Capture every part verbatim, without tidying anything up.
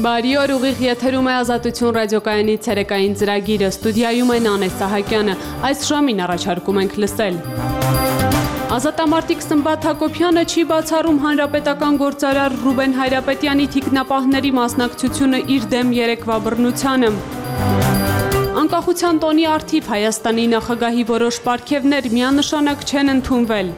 Բարի օր, ուղիղ եթերում է Ազատություն ռադիոկայանի ցերեկային ծրագիրը, ստուդիայում է Նանե Սահակյանը, այս ժամին առաջարկում ենք լսել։ Ազատամարտիկ Սմբատ Հակոբյանը չի բացառում հանրապետական գործարար Ռուբեն Հայրապետյանի թիկնապահների մասնակցությունը իր դեմ երեկվա բռնությանը։ Անկախության տոնի առթիվ Հայաստանի նախագահի որոշ պարգևներ միանշանակ չեն ընդունվել։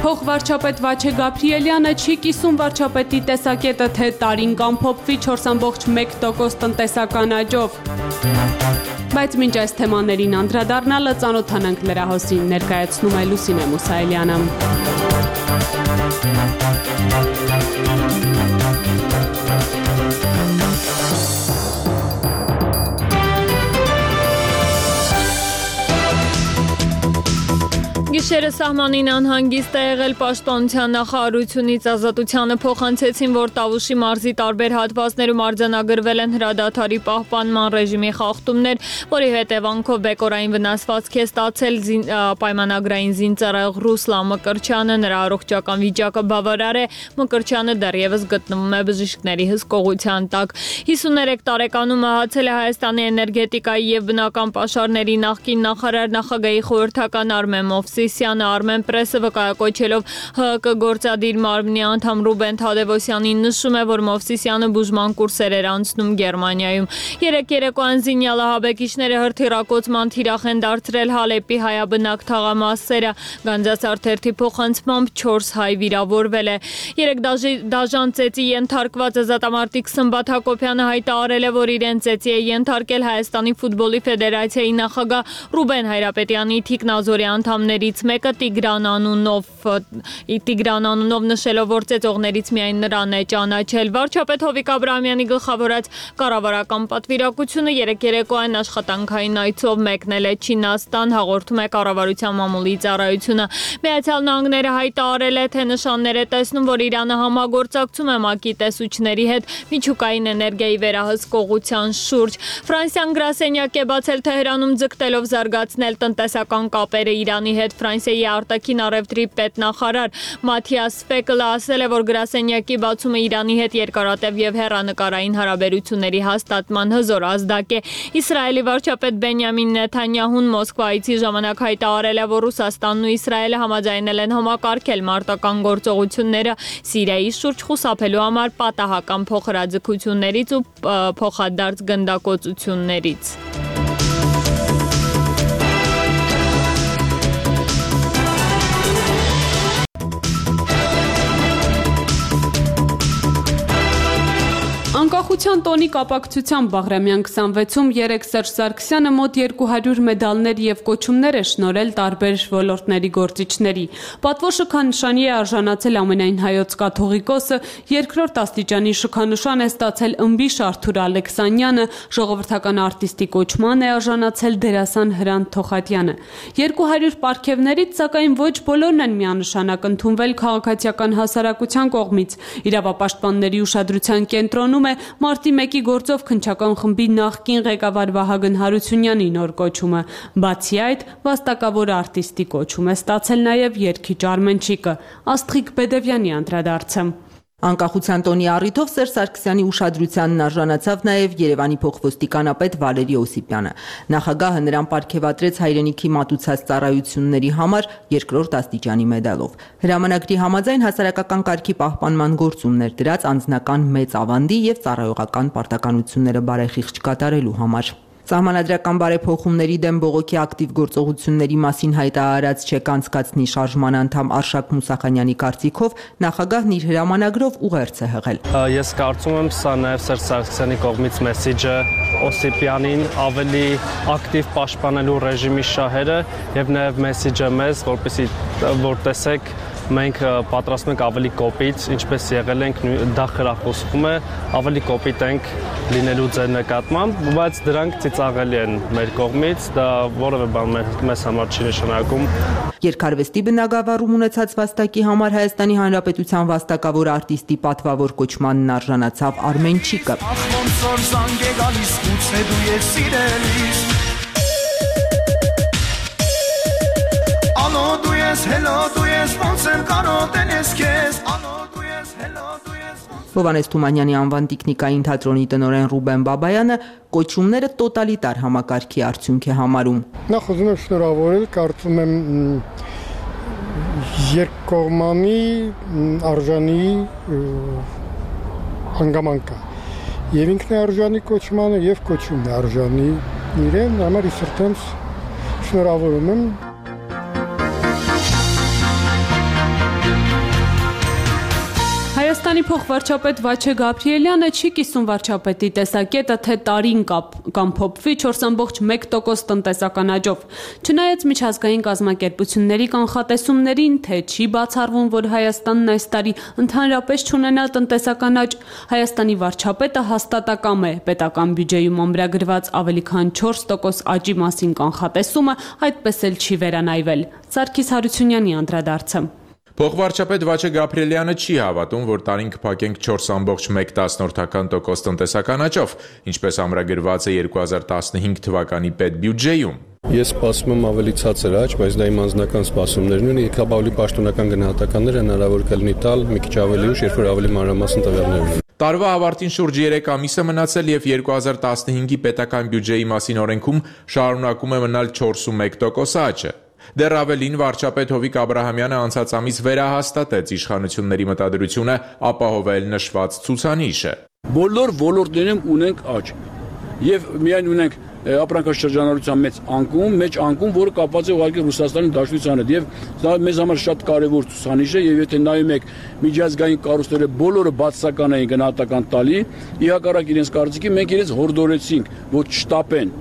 Փոխվարչապետ Վաչե Գաբրիելյանը չի կիսում վարչապետի տեսակետը, թե տարին կամփոփվի չորս կόμma մեկ տոկոս տնտեսական աճով։ Բայց մինչ այս թեմաներին անդրադառնալը ծանոթանանք լրահոսին, ներկայացնում է Լուսինե Մուսայելյանը։ Գիշերը սահմանին անհանգիստ է եղել պաշտպանության նախարարությունից Ազատությանը փոխանցեցին, որ Տավուշի մարզի տարբեր հատվածներում արձանագրվել են հրադադարի պահպանման ռեժիմի խախտումներ, որի հետևանքով բեկորային վնասվածք է ստացել պայմանագրային զինծառայող Ռուսլան Մկրտչյանը, նրա առողջական վիճակը բավարար է, Մկրտչյանը դեռևս գտնվում է բժիշկների հսկողության տակ։ հիսուներեք տարեկանում մահացել է Հայաստանի էներգետիկայի եւ բնական պաշարների նախկին նախարար նախագահի խորհրդական Արմեն Մովսիսյանը Armen Press-ը վկայակոչելով ՀՀԿ գործադիր մարմնի անդամ Ռուբեն Թադևոսյանին նշում է, որ Մովսիսյանը բուժման կուրսեր էր անցնում Գերմանիայում։ Երեք երեկոյան զինյալը հաբեկիչները հրթիռակոծման թիրախ են դարձրել Հալեպի հայաբնակ թաղամասերը։ Գանձասարթերթի փոխանցմամբ չորս հայ վիրավորվել է։ Երեք դաժան ծեծի ենթարկված ազատամարտիկ Սմբատ Հակոբյանը հայտարարել է, որ իրեն ծեծի է ենթարկել Հայաստանի ֆուտբոլի ֆեդերացիայի նախագահ Ռուբեն Հայրապետյանի թիկնազորի անդամներից մեկը Տիգրան անունով Տիգրան անունով նշելով, որ ծեծողներից միայն նրան է ճանաչել։ Վարչապետ Հովիկ Աբրահամյանի գլխավորած կառավարական պատվիրակությունը երեք երեկոյան աշխատանքային այցով մեկնել է Չինաստան, հաղորդում է կառավարության մամուլի ծառայությունը։ Միացյալ Նահանգները հայտարարել է, թե նշաններ է տեսնում, որ Իրանը համագործակցում է ՄԱԿ-ի տեսուչների հետ միջուկային էներգիայի վերահսկողության շուրջ։ Ֆրանսիան գրասենյակ է բացել Թեհրանում ձգտելով զարգացնել տնտեսական կապերը Իրանի հետ։ Ֆրանսիայի արտաքին առևտրի պետնախարար Մաթիաս Ֆեկլը ասել է, որ գրասենյակի բացումը Իրանի հետ երկարատև եւ հեռանկարային հարաբերությունների հաստատման հզոր ազդակ է։ Իսրայելի վարչապետ Բենյամին Նեթանյահուն Մոսկվայից ժամանակ հայտարարել է, որ Ռուսաստանն ու Իսրայելը համաձայնել են համակարգել մարտական գործողությունները Սիրիայի շուրջ խուսափելու համար պատահական փոխհրաձգություններից ու փոխադարձ գնդակոծություններից։ Անկախության տոնի կապակցությամբ Բաղրամյան քսանվեցում երեկ Սերժ Սարգսյանը մոտ երկու հարյուր մեդալներ եւ կոչումներ է շնորհել տարբեր ոլորտների գործիչների։ Պատվո շքանշանի է արժանացել ամենայն հայոց կաթողիկոսը, երկրորդ աստիճանի շքանշան է ստացել ըմբիշ Արթուր Ալեքսանյանը, ժողովրդական արտիստի կոչման է արժանացել դերասան Հրանտ Թոխատյանը։ երկու հարյուր պարգևներից, սակայն ոչ բոլորն են միանշանակ ընդունվել քաղաքացիական հասարակության կողմից։ Իրավապաշտպանների ուշադրության կենտրոնում է մարտի մեկի գործով քննչական խմբի նախկին ղեկավար Վահագն Հարությունյանի նոր կոչումը։ Բացի այդ, վաստակավոր արտիստի կոչում է ստացել նաև երգիչ Արմենչիկը։ Աստղիկ Բեդևյանի անդրադարձը։ Անկախության տոնի առիթով Սերժ Սարգսյանի ուշադրությանն արժանացավ նաև Երևանի փոխոստիկանապետ Վալերի Օսիպյանը։ Նախագահը նրան պարգևատրեց հայրենիքի մատուցած ծառայությունների համար երկրորդ աստիճանի մեդալով։ Հրամանագրի համաձայն հասարակական կարգի պահպանման գործումներ դրած անձնական մեծ ավանդի եւ ծառայողական պարտականությունները բարեխիղճ կատարելու համար։ Սահմանադրական բարեփոխումների դեմ բողոքի ակտիվ գործողությունների մասին հայտարարած չեք անցկացնի շարժման անդամ Արշակ Մուսախանյանի կարծիքով նախագահն իր հրամանագրով ուղերձ է հղել։ Ես կարծում եմ, սա նաև Սերժ Սարգսյանի կողմից մեսիջը Օսիպյանին ավելի ակտիվ պաշտպանելու ռեժիմի շահերը եւ նաև մեսիջը մեզ, որպեսզի որ տեսեք մենք պատրաստում ենք ավելի կոպիտ, ինչպես եղել ենք, դա խրախուսվում է, ավելի կոպիտ ենք լինելու ձեր նկատմամբ, բայց դրանք ծիծաղելի են մեր կողմից, դա որևէ բան մեզ համար չի նշանակում։ Երկարվեստի բնագավառում ունեցած վաստակի համար Հայաստանի Հանրապետության վաստակավոր արտիստի պատվավոր կոչմանն արժանացավ Արմենչիկը։ Հովհաննես Թումանյանի անվան տիկնիկային թատրոնի տնօրեն Ռուբեն Բաբայանը կոչումները տոտալիտար համակարգի արդյունք է համարում։ Նախ ուզում եմ շնորհավորել, կարծում եմ երկկողմանի արժանի հանգամանք է։ Եվ ինքն է արժանի կոչմանը, եւ կոչումն է արժանի իրեն, համար իսրտենց շնորհավորում եմ։ Հայաստանի փոխվարչապետ Վաչե Գաբրիելյանը չի կիսում վարչապետի տեսակետը, թե տարին կամ փոփվի չորս ամբողջ մեկ տոկոս տնտեսական աճով։ Չնայած միջազգային կազմակերպությունների կանխատեսումներին, թե չի բացառվում, որ Հայաստանն այս տարի ընդհանրապես չունենա տնտեսական աճ, Հայաստանի վարչապետը հաստատակամ է պետական բյուջեում ամրագրված ավելի քան չորս տոկոս աճի մասին կանխատեսումը այդպես էլ չի վերանայվել։ Սարգիս Հարությունյանի անդրադարձը։ Փոխվարչապետ Վաչե Գաբրիելյանը չի հավատում, որ տարին կփակենք չորս ամբողջ մեկ տոկոս տնտեսական աճով, ինչպես ամրագրված է երկու հազար տասնհինգ թվականի պետբյուջեում։ Ես սպասում եմ ավելի ցածր աճ, բայց դա իմ անձնական սպասումներն են, եկավ ավելի պաշտոնական գնահատականներ հնարավոր կլինի տալ մի քիչ ավելի ուշ, երբ որ ավելի մանրամասն տվյալներ ունեն։ Տարվա ավարտին շուրջ երեք ամիս է մնացել եւ երկու հազար տասնհինգի պետական բյուջեի մասին օրենքում շարունակում է մնալ չորսունմեկ տոկոս աճը։ Դեռ ավելին վարչապետ Հովիկ Աբրահամյանը անցած ամիս վերահաստատեց իշխանությունների մտադրությունը ապահովել նշված ցուցանիշը։ Բոլոր ոլորտներում ունենք աճ եւ միայն ունենք ապրանքաշրջանառության մեծ անկում, մեծ անկում, որը կապված է ուղղակի Ռուսաստանի Դաշնության հետ եւ դա մեզ համար շատ կարեւոր ցուցանիշ է եւ եթե նայում եք միջազգային կառույցները բոլորը բացասական էին գնահատական տալի, իհակառակ իրենց կարծիքի մենք իրենց հորդորեցինք, որ չշտապեն։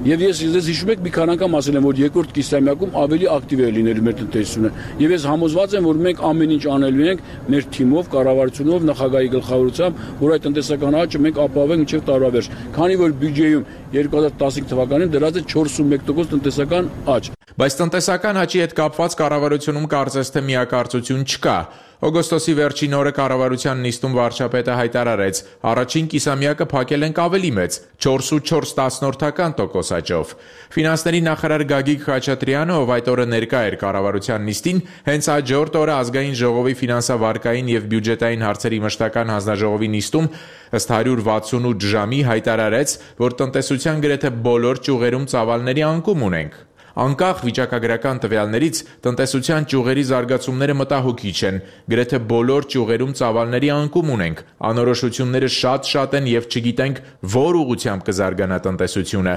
Եվ ես ես հիշում եք մի քանի անգամ ասել եմ, որ երկրորդ կիսամյակում ավելի ակտիվ է լինելու մեր տնտեսությունը։ Եվ ես համոզված եմ, որ մենք ամեն ինչ անելու ենք մեր թիմով, կառավարությունով, նախագահի գլխավորությամբ, որ այդ տնտեսական աճը մենք ապահովենք մինչև տարվա վերջ։ Քանի որ բյուջեում երկու հազար տասնհինգ թվականին դրած է չորսունմեկ տոկոս տնտեսական աճ։ Բայց տնտեսական աճի հետ կապված կառավարությունում կարծես թե միակարծություն չկա։ Օգոստոսի վերջին օրը կառավարության նիստում վարչապետը հայտարարեց. առաջին կիսամյակը փակել ենք ավելի մեծ չորս ու չորս տասնորդական տոկոս աճով։ Ֆինանսների նախարար Գագիկ Խաչատրյանը, ով այդ օրը ներկա էր կառավարության նիստին, հենց հաջորդ օրը ազգային ժողովի ֆինանսավարկային եւ բյուջետային հարցերի մշտական հանձնաժողովի նիստում ըստ հարյուր վաթսունութ ժամի հայտարարեց, որ տնտեսության գրեթե բոլոր ճյուղերում ծավալների անկում ունենք։ Անկախ վիճակագրական տվյալներից տնտեսության ճյուղերի զարգացումները մտահոգիչ են, գրեթե բոլոր ճյուղերում ծավալների անկում ունենք, անորոշությունները շատ-շատ են եւ չգիտենք որ ուղղությամբ կզարգանա տնտեսությունը,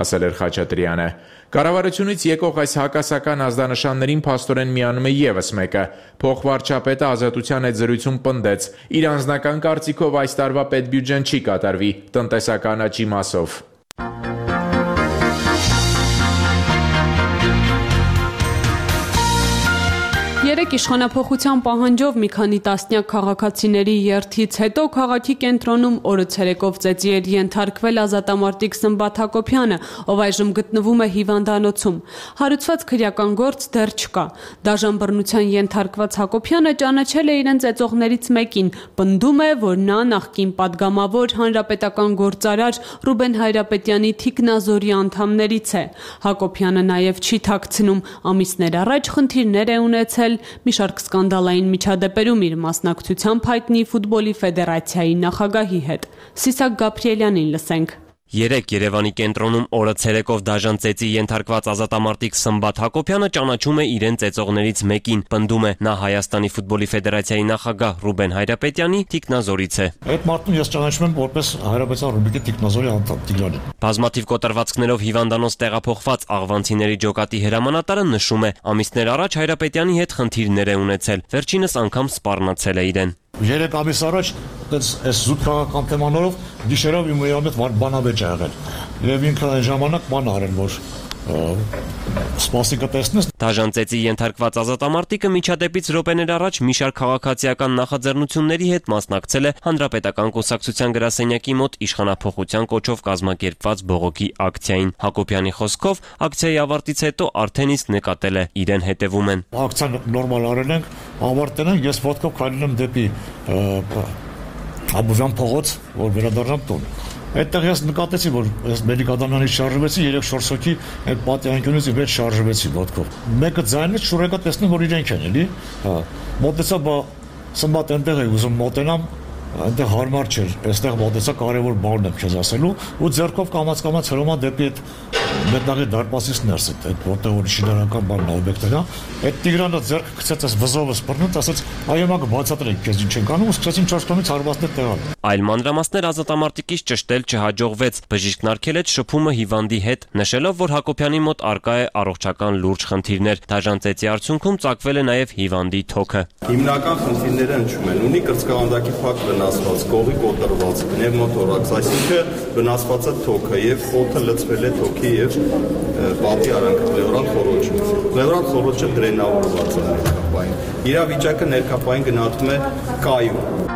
ասել էր Խաչատրյանը։ Կառավարությունից եկող այս հակասական ազդանշաններին փաստորեն միանում է եւս մեկը։ Փոխվարչապետը Ազատության հետ զրույցում պնդեց. իր անձնական կարծիքով այս տարվա պետբյուջեն չի կատարվի տնտեսական աճի մասով։ Երեք իշխանափոխության պահանջով մի քանի տասնյակ քաղաքացիների երթից հետո քաղաքի կենտրոնում օրը ցերեկով ծեծի էր ենթարկվել ազատամարտիկ Սմբատ Հակոբյանը, ով այժմ գտնվում է հիվանդանոցում։ Հարուցված քրեական գործ դեռ չկա։ Դաժան բռնության ենթարկված Հակոբյանը ճանաչել է իրեն ծեծողներից մեկին, պնդում է, որ նա նախկին падգամավոր հանրապետական գործարար Ռուբեն Հայրապետյանի թիկնազորի անդամներից է։ Հակոբյանը նաև չի թաքցնում, ամիսներ առաջ խնդիրներ է ունեցել մի շարք սկանդալային միջադեպերում իր մասնակցությամբ հայտնի ֆուտբոլի ֆեդերացիայի նախագահի հետ։ Սիսակ Գաբրիելյանին լսենք։ Երեք Երևանի կենտրոնում օրը ցերեկով դաժան ծեծի ենթարկված ազատամարտիկ Սմբատ Հակոբյանը ճանաչում է իրեն ծեծողներից մեկին, պնդում է նա Հայաստանի ֆուտբոլի ֆեդերացիայի նախագահ Ռուբեն Հայրապետյանի թիկնազորից է։ Այդ մարդուն ես ճանաչում եմ որպես Հայրապետյան Ռուբիկի թիկնազորի անդամ Տիգրանին։ Բազմաթիվ կոտրվածքներով հիվանդանոց տեղափոխված աղվանցիների ջոկատի հրամանատարը նշում է, ամիսներ առաջ Հայրապետյանի հետ խնդիրներ է ունեցել, վերջինս անգամ սպառնացել է իրեն։ Երեք ամիս առաջ այս զուտ քաղաքական թեմաներով գիշերով իմ հետ բանավեճ ա եղել եւ ինքը այն ժամանակ բան արել, որ սպասիկը տեսնես։ Դաժան ծեծի ենթարկված ազատամարտիկը միջադեպից րոպեներ առաջ մի շարք քաղաքացիական նախաձեռնությունների հետ մասնակցել է Հանրապետական կուսակցության գրասենյակի մոտ իշխանափոխության կոչով կազմակերպված բողոքի ակցիային։ Հակոբյանի խոսքով ակցիայի ավարտից հետո արդեն իսկ նկատել է իրեն հետևում են։ Ակցիան նորմալ արել ենք, ավարտել ենք, ես ոտքով քայլել եմ դեպի Աբովյան փողոց, որ վերադառնամ տուն։ Այդտեղ ես նկատեցի, որ ես Մելիք-Ադամյանից շարժվեցի, երեք-չորս հոգի այդ պատյանքյունից իբր շարժվեցի ոտքով։ Մեկը ձայնից շուրեկա տեսնում, որ իրենք են, էլի։ Հա։ Մոտեցա, բա Սմբատ այնտեղ է ուզում մոտենամ, այնտեղ հարմար չէր, այստեղ մոտեցա կարևոր բանն եմ քեզ ասելու ու ձեռքով կամաց-կամաց հրոմա դեպի այդ մետաղի դարպասից ներս այդ որտեղ որ շինարարական բանն օբյեկտն է, այդ Տիգրանը ձեռքը գցեց այս վզովը սպռնուց, ասաց այո մագ բացատրեք քեզ ինչ ենք անում, սկսեցին չորս կողմից հարվածներ տեղալ։ Այլ մանրամասներ ազատամարտիկից ճշտել չհաջողվեց, բժիշկն արգելեց շփումը հիվանդի հետ, նշելով, որ Հակոբյանի մոտ առկա է առողջական լուրջ խնդիրներ։ Դաժան ծեծի արդյունքում ծագվել է նաև հիվանդի թոքը։ Հիմնական խնդիրները հնչում են, ունի կրծքավանդակի փակ վնասված, կողի կոտրված, պնևմոթորակս, այսինքն վնասված է թոքը եւ օդը լցվել է թոքի եւ պատի արանքը, պլեորալ խոռոչը։ Պլեորալ խոռոչը դրենավորված է ներկապային։ Իրավիճակը ներկապային գնահատվում է կայուն։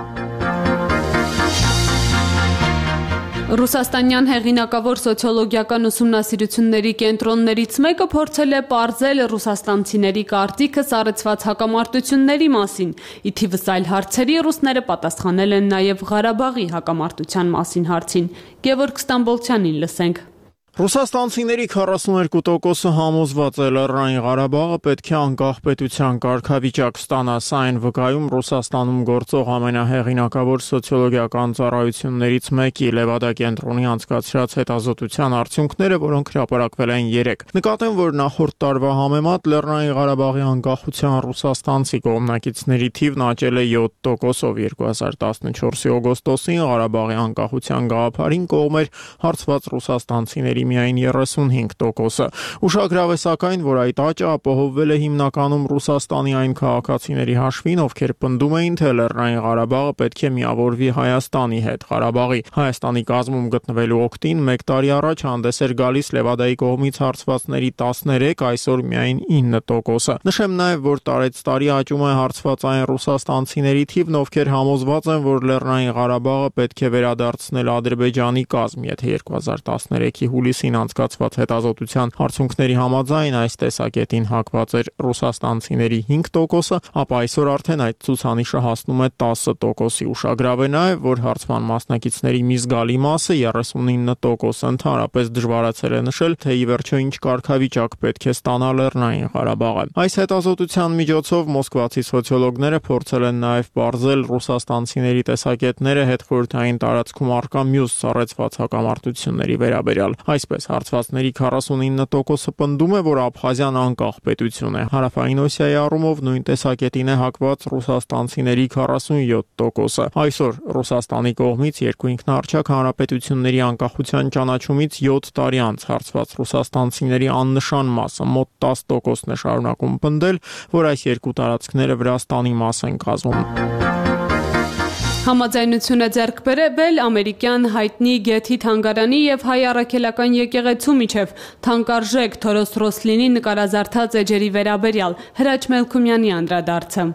Ռուսաստանյան հեղինակավոր սոցիոլոգիական ուսումնասիրությունների կենտրոններից մեկը փորձել է պարզել ռուսաստանցիների կարծիքը սառեցված հակամարտությունների մասին։ Ի թիվս այլ հարցերի ռուսները պատասխանել են նաև Ղարաբաղի հակամարտության մասին հարցին։ Գևորգ Ստամբոլցյանին լսենք։ Ռուսաստանցիների քառասունուերկու տոկոսը համոզված է Լեռնային Ղարաբաղը պետք է անկախ պետության կարգավիճակ ստանա, սա այն վկայում Ռուսաստանում գործող ամենահեղինակավոր սոցիոլոգիական ծառայություններից մեկի Լևադա կենտրոնի անցկացրած հետազոտության արդյունքները, որոնք հրապարակվել են երեկ։ Նկատեմ, որ նախորդ տարվա համեմատ Լեռնային Ղարաբաղի անկախության ռուսաստանցի կողմնակիցների թիվն աճել է յոթ տոկոսով երկու հազար տասնչորսի օգոստոսին Ղարաբաղի անկախության գաղափարին կողմ էր հարցված ռուսաստանցիների միայն երեսունհինգ տոկոսը։ Ուշագրավ է սակայն, որ այդ աճը ապահովվել է հիմնականում Ռուսաստանի այն քաղաքացիների հաշվին, ովքեր պնդում էին, թե Լեռնային Ղարաբաղը պետք է միավորվի Հայաստանի հետ։ Ղարաբաղի Հայաստանի կազմում գտնվելու օգտին մեկ տարի առաջ հանդես էր գալիս Լևադայի կողմից հարցվածների տասներեք, այսօր միայն ինը տոկոսը։ Նշեմ նաև, որ տարեց տարի աճում է հարցված այն ռուսաստանցիների թիվն, ովքեր համոզված են, որ Լեռնային Ղարաբաղը պետք է վերադարձնել Ադրբեջանի կազմ, եթե երկու հազար տասներեքի հուլիսին անցկացված հետազոտության արդյունքների համաձայն այս տեսակետին հակված էր ռուսաստանցիների հինգ տոկոսը, ապա այսօր արդեն այդ ցուցանիշը հասնում է տասը տոկոսի։ Ուշագրավ է նաև, որ հարցման մասնակիցների մի զգալի մասը երեսունինը տոկոս ընդհանրապես դժվարացել է նշել, թե ի վերջո ինչ կարգավիճակ պետք է ստանա Լեռնային Ղարաբաղը։ Այս հետազոտության միջոցով մոսկվացի սոցիոլոգները փորձել են նաև պարզել ռուսաստանցիների տեսակետները հետխորհրդային տարածքում առկա մյուս սառեցված հակամարտությունների վերաբերյալ։ Այսպես հարցվածների քառասունինը տոկոսը պնդում է, որ Աբխազիան անկախ պետություն է։ Հարավային Օսիայի առումով նույն տեսակետին է հակված ռուսաստանցիների քառասունյոթ տոկոսը։ Այսօր Ռուսաստանի կողմից երկու ինքնաառչակ հանրապետությունների անկախության ճանաչումից յոթ տարի անց հարցված ռուսաստանցիների աննշան մասը մոտ տասը տոկոսն է շարունակում պնդել, որ այս երկու տարածքները Վրաստանի մաս են կազմում։ Համաձայնություն է ձեռք բերվել ամերիկյան հայտնի Գեթի թանգարանի եւ հայ առաքելական եկեղեցու միջև թանկարժեք Թորոս Ռոսլինի նկարազարդած էջերի վերաբերյալ Հրաչ Մելքումյանի անդրադարձը։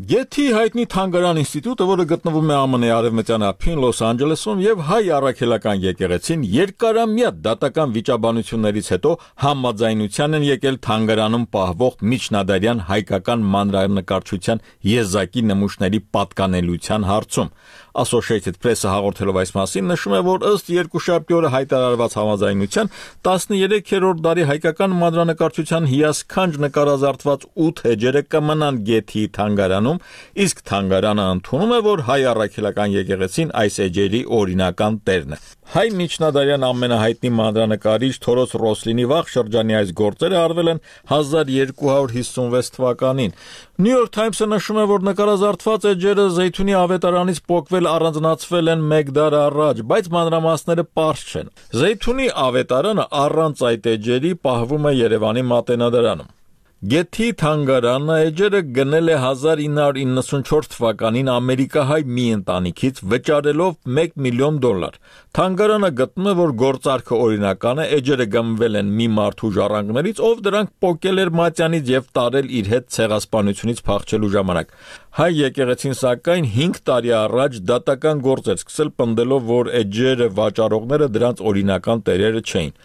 Գեթի հայտնի թանգարան ինստիտուտը, որը գտնվում է ԱՄՆ-ի արևմտյան ափին Լոս Անջելեսում եւ հայ առաքելական եկեղեցին երկարամյա դատական վիճաբանություններից հետո համաձայնության են եկել թանգարանում պահվող միջնադարյան հայկական մանրանկարչության եզակի նմուշների պատկանելիության հարցում։ Associated Press-ը հաղորդելով այս մասին նշում է, որ ըստ երկուշաբթի օրը հայտարարված համաձայնության տասներեքերորդ դարի հայկական մանրանկարչության հիասքանչ նկարազարդված ութ էջերը կմնան Գեթի թանգարանում, իսկ թանգարանը ընդունում է, որ հայ առաքելական եկեղեցին այս էջերի օրինական տերն է։ Հայ միջնադարյան ամենահայտնի մանրանկարիչ Թորոս Ռոսլինի վաղ շրջանի այս գործերը արվել են հազար երկու հարյուր հիսունվեց թվականին։ New York Times-ը նշում է, որ նկարազարդված էջերը Զեյթունի ավետարանից պոկվել առանձնացվել են մեկ դար առաջ, բայց մանրամասները պարզ չեն։ Զեյթունի ավետարանը առանց այդ էջերի պահվում է Երևանի Մատենադարանում։ Գեթի թանգարանը էջերը գնել է հազար ինը հարյուր իննսունչորդ թվականին ամերիկահայ մի ընտանիքից վճարելով մեկ միլիոն դոլար։ Թանգարանը գտնում է, որ գործարքը օրինական է, էջերը գնվել են մի մարդու ժառանգներից, ով դրանք պոկել էր մատյանից եւ տարել իր հետ ցեղասպանությունից փախչելու ժամանակ։ Հայ եկեղեցին սակայն հինգ տարի առաջ դատական գործ էր սկսել պնդելով, որ էջերը վաճառողները դրանց օրինական տերերը չէին։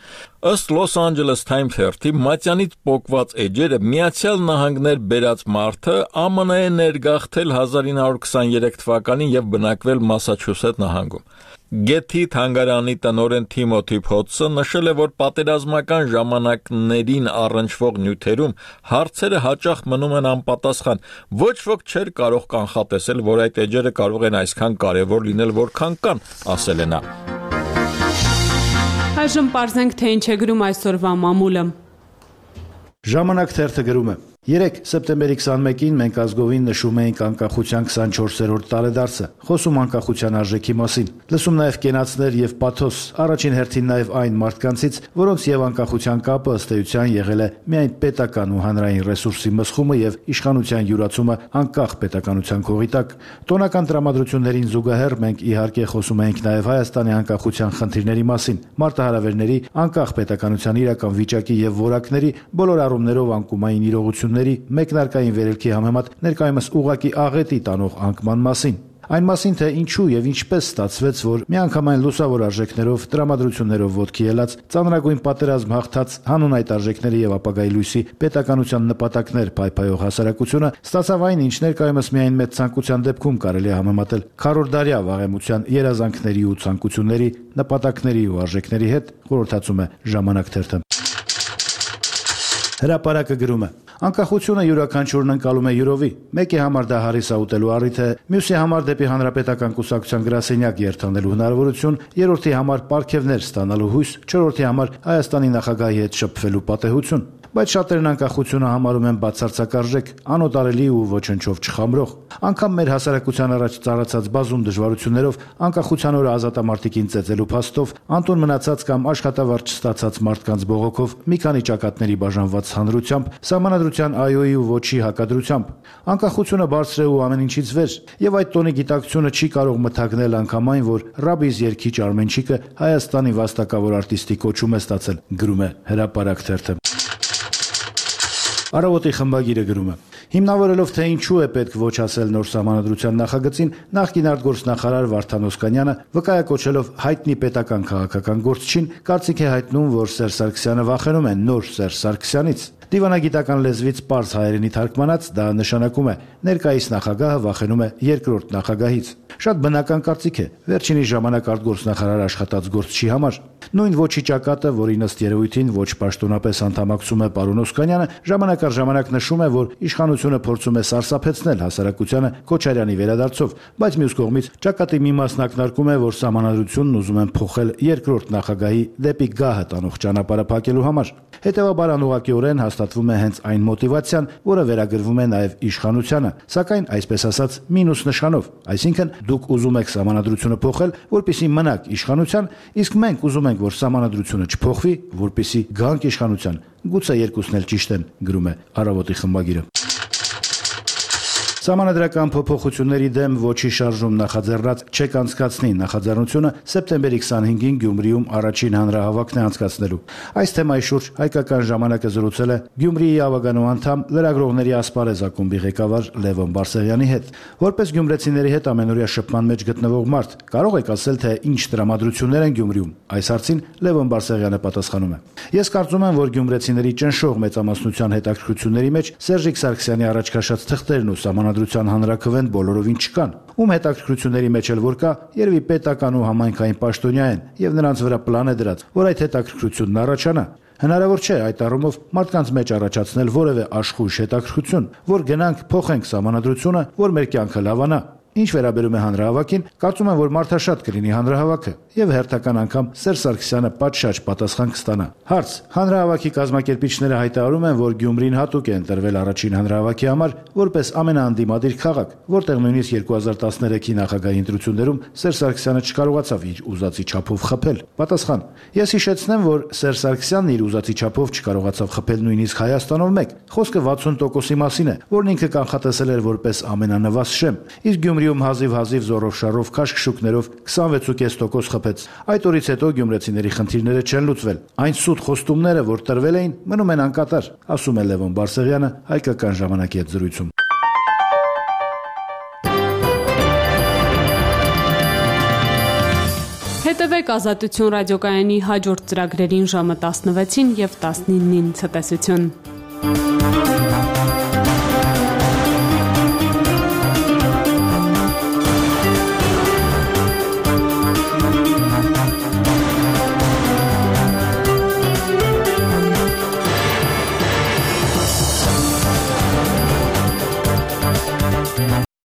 Ըստ Los Angeles Times թերթի մատյանից պոկված էջերը Միացյալ Նահանգներ բերած մարդը Ամն է ներգաղթել հազար ինը հարյուր քսաներեք թվականին եւ բնակվել Մասաչուսեթ նահանգում։ Գեթի թանգարանի տնօրեն Թիմոթի Փոթսը նշել է, որ պատերազմական ժամանակներին առնչվող նյութերում հարցերը հաճախ մնում են անպատասխան։ Ոչ ոք չէր կարող կանխատեսել, որ այդ էջերը կարող են այսքան կարևոր լինել, որքան կան, ասել է նա։ Այժմ պարզենք, թե ինչ է գրում այսօրվա մամուլը։ Ժամանակ թերթը գրում է. Երեկ սեպտեմբերի քսանմեկին մենք ազգովին նշում էինք անկախության քսանչորսերորդ տարեդարձը, խոսում անկախության արժեքի մասին, լսում նաև կենացներ եւ պաթոս, առաջին հերթին նաև այն մարդկանցից, որոնց եւ անկախության կապը ըստ էության եղել է միայն պետական ու հանրային ռեսուրսի մսխումը եւ իշխանության յուրացումը անկախ պետականության քողի տակ։ Տոնական տրամադրություններին զուգահեռ մենք իհարկե խոսում էինք նաև Հայաստանի անկախության խնդիրների մասին, մարտահրավերների, անկախ պետականության իրական վիճակի եւ որակների, բոլոր առումներով անկումային իրողությունների մեկնարկային վերելքի համեմատ ներկայումս ուղակի աղետի տանող անկման մասին։ Այն մասին, թե ինչու եւ ինչպես ստացվեց, որ միանգամայն լուսավոր արժեքներով, տրամադրություններով ոտքի ելած, ծանրագույն պատերազմ հաղթած հանուն այդ արժեքների եւ ապագայի լույսի պետականության նպատակներ փայփայող հասարակությունը ստացավ այն, ինչ ներկայումս միայն մեծ ցանկության դեպքում կարելի է համեմատել քառորդդարյա վաղեմության երազանքների ու ցանկությունների, նպատակների ու արժեքների հետ, խորհրդացում է Ժամանակ թերթը։ Հրապարակը գրում է. Անկախությունը յուրաքանչյուրն ընկալում է յուրովի։ Մեկի համար դա հարիսա ուտելու առիթ է, մյուսի համար դեպի հանրապետական կուսակցության գրասենյակ երթանելու հնարավորություն, երրորդի համար պարգևներ ստանալու հույս, չորրորդի համար Հայաստանի նախագահի հետ շփվելու պատեհություն։ Բայց շատերն անկախությունը համարում են բացարձակարժեք, անօտարելի ու ոչնչով չխամրող։ Անկամ մեր հասարակության առաջ ծառացած բազում դժվարություններով, անկախության օրը ազատամարտիկին ծեծելու փաստով, անտուն մնացած կամ աշխատավարձ չստացած մարդկանց բողոքով, մի քանի ճակատների բաժանված հանրությամբ, սահմանադրության այոյի ու ոչի հակադրությամբ։ Անկախությունը բարձր է ու ամեն ինչից վեր, եւ այդ տոնի գիտակցությունը չի կարող մթագնել անգամ այն, որ Ռաբիս երգիչ Արմենչիկը Հայաստանի վաստակավոր արտիստի կոչում է ստացել, գրում է Հրապարակ թերթը։ Առավոտի խմբագիրը գրում է. Հիմնավորելով թե ինչու է պետք ոչ ասել նոր սահմանադրության նախագծին, նախկին արտգործնախարար Վարդան Օսկանյանը վկայակոչելով հայտնի պետական քաղաքական գործչին, կարծիք է հայտնում, որ Սերժ Սարգսյանը վախենում է նոր Սերժ Սարգսյանից։ Դիվանագիտական լեզվից պարզ հայերենի թարգմանած դա նշանակում է ներկայիս նախագահը վախենում է երկրորդ նախագահից։ Շատ բնական կարծիք է, վերջինի ժամանակ արտգործնախարար աշխատած գործչի համար։ Նույն ոչի ճակատը, որին ըստ երևույթին ոչ պաշտոնապես անդամակցում է պարոն Օսկանյանը, ժամանակ առ ժամանակ նշում է, որ իշխանությունը փորձում է սարսափեցնել հասարակությանը Քոչարյանի վերադարձով, բայց մյուս կողմից ճակատի մի մասն ակնարկում է, որ սահմանադրությունն ուզում են փոխել երկրորդ նախագահի դեպի գահը տանող ճանապարհը փակելու համար։ Հետևաբար անուղղակիորեն հաստատվում է հենց այն մոտիվացիան, որը վերագրվում է նաև իշխանությանը, սակայն այսպես ասած մինուս նշանով, այսինքն դուք ուզում եք սահմանադրությունը փոխել, որպեսզի մնաք իշխանության, իսկ մենք ուզում ենք, որ սահմանադրությունը չփոխվի, որպեսզի գանք իշխանության։ Գուցե երկուսն էլ ճիշտ են, գրում է Առավոտի խմբագիրը։ Սահմանադրական փոփոխությունների դեմ ոչի շարժում նախաձեռնած չեք անցկացնի նախաձեռնությունը սեպտեմբերի քսանհինգին Գյումրիում առաջին հանրահավաքն է անցկացնելու։ Այս թեմայի շուրջ հայկական ժամանակը զրուցել է Գյումրիի ավագանու անդամ լրագրողների ասպարեզ ակումբի ղեկավար Լևոն Բարսեղյանի հետ։ Որպես գյումրեցիների հետ ամենօրյա շփման մեջ գտնվող մարդ, կարող եք ասել, թե ինչ տրամադրություններ են Գյումրիում։ Այս հարցին Լևոն Բարսեղյանը պատասխանում է. Ես կարծում եմ, որ գյումրեցիների ճնշող մեծամասնության հետաքրքրությունների մեջ Սերժիկ Սարգսյանի առաջ քաշած թղթերն ու սահմանադրության հանրաքվեն բոլորովին չկան։ Ում հետաքրքրությունների մեջ էլ որ կա, երևի պետական ու համայնքային պաշտոնյա են, եւ նրանց վրա պլան է դրած, որ այդ հետաքրքրությունն առաջանա։ Հնարավոր չէ այդ առումով մարդկանց մեջ առաջացնել որևէ աշխույժ հետաքրքրություն, որ գնանք փոխենք սահմանադրությունը, որ մեր կյանքը լավանա։ Ինչ վերաբերում է հանրահավաքին, կարծում եմ, որ մարդաշատ կլինի հանրահավաքը եւ հերթական անգամ Սերժ Սարգսյանը պատշաճ պատասխան կստանա։ Հարց. հանրահավաքի կազմակերպիչները հայտարարում են, որ Գյումրին հատուկ է ընտրվել առաջին հանրահավաքի համար որպես ամենաանդիմադիր քաղաք, որտեղ նույնիսկ երկու հազար տասներեքի նախագահի ընտրություններում Սերժ Սարգսյանը չկարողացավ իր ուզածի չափով խփել։ Պատասխան. Ես հիշեցնեմ, որ Սերժ Սարգսյանն իր ուզածի չափով չկարողացավ խփել նույնիսկ Հայաստանով մեկ։ Խոսքը վաթսուն տոկոսի մասին է, որն ինքը կանխատեսել էր որպես ամենանվազ շեմ։ Իսկ Գյումրիում հազիվ-հազիվ զորով-շարով քաշքշուկներով քսանվեց կես տոկոս խփեց։ Այդ օրից հետո գյումրեցիների խնդիրները չեն լուծվել։ Այն սուտ խոստումները, որ տրվել էին, մնում են անկատար, ասում է Լևոն Բարսեղյանը Հայկական ժամանակի հետ զրույցում։ Հետևեք Ազատություն ռադիոկայանի հաջորդ ծրագրերին ժամը տասնվեցին եւ տասնինին ցտեսություն։